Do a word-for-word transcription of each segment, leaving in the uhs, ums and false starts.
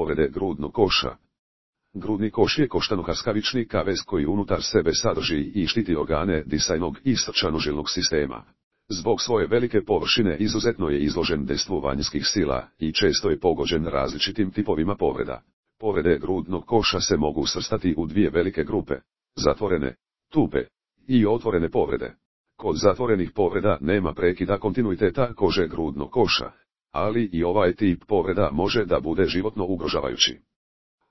povrede grudnog koša. Grudni koš je koštano-kaskavični kavez koji unutar sebe sadrži i štiti organe disajnog i srčano-žilnog sistema. Zbog svoje velike površine izuzetno je izložen dejstvu vanjskih sila i često je pogođen različitim tipovima povreda. Povrede grudnog koša se mogu svrstati u dvije velike grupe, zatvorene, tupe i otvorene povrede. Kod zatvorenih povreda nema prekida kontinuiteta kože grudnog koša, ali i ovaj tip povreda može da bude životno ugrožavajući.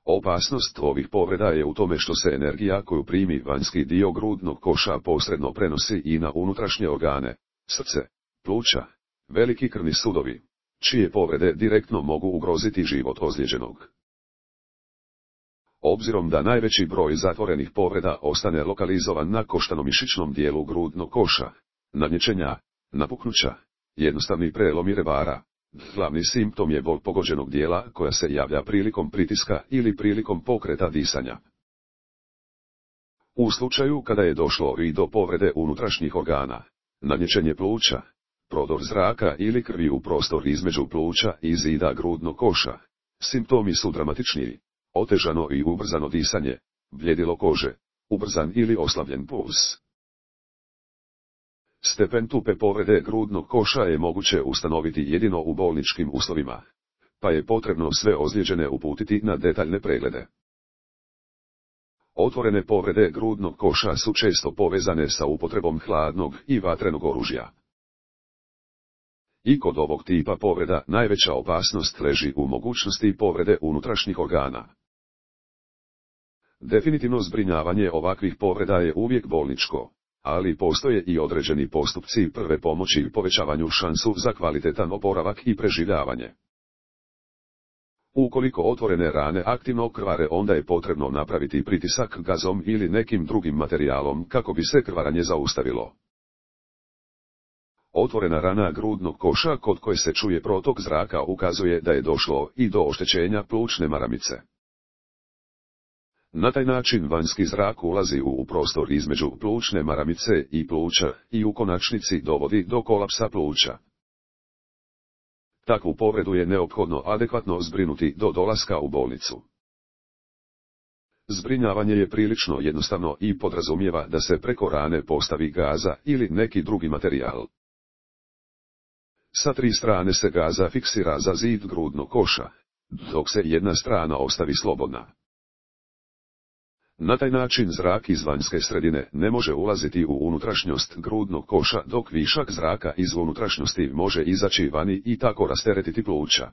Opasnost ovih povreda je u tome što se energija koju primi vanjski dio grudnog koša posredno prenosi i na unutrašnje organe, srce, pluća, veliki krvni sudovi, čije povrede direktno mogu ugroziti život ozlijeđenog. Obzirom da najveći broj zatvorenih povreda ostane lokalizovan na koštano-mišićnom dijelu grudnog koša, nadnječenja, napuknuća, jednostavni prelomi revara, glavni simptom je bol pogođenog dijela koja se javlja prilikom pritiska ili prilikom pokreta disanja. U slučaju kada je došlo i do povrede unutrašnjih organa, nadnječenje pluća, prodor zraka ili krvi u prostor između pluća i zida grudnog koša, simptomi su dramatičniji. Otežano i ubrzano disanje, bljedilo kože, ubrzan ili oslabljen puls. Stepen tupe povrede grudnog koša je moguće ustanoviti jedino u bolničkim uslovima, pa je potrebno sve ozlijeđene uputiti na detaljne preglede. Otvorene povrede grudnog koša su često povezane sa upotrebom hladnog i vatrenog oružja. I kod ovog tipa povreda najveća opasnost leži u mogućnosti povrede unutrašnjih organa. Definitivno zbrinjavanje ovakvih povreda je uvijek bolničko, ali postoje i određeni postupci prve pomoći povećavanju šansu za kvalitetan oporavak i preživljavanje. Ukoliko otvorene rane aktivno krvare, onda je potrebno napraviti pritisak gazom ili nekim drugim materijalom kako bi se krvarenje zaustavilo. Otvorena rana grudnog koša kod koje se čuje protok zraka ukazuje da je došlo i do oštećenja plućne maramice. Na taj način vanjski zrak ulazi u prostor između plućne maramice i pluća i u konačnici dovodi do kolapsa pluća. Takvu povredu je neophodno adekvatno zbrinuti do dolaska u bolnicu. Zbrinjavanje je prilično jednostavno i podrazumijeva da se preko rane postavi gaza ili neki drugi materijal. Sa tri strane se gaza fiksira za zid grudnog koša, dok se jedna strana ostavi slobodna. Na taj način zrak iz vanjske sredine ne može ulaziti u unutrašnjost grudnog koša, dok višak zraka iz unutrašnjosti može izaći vani i tako rasteretiti pluća.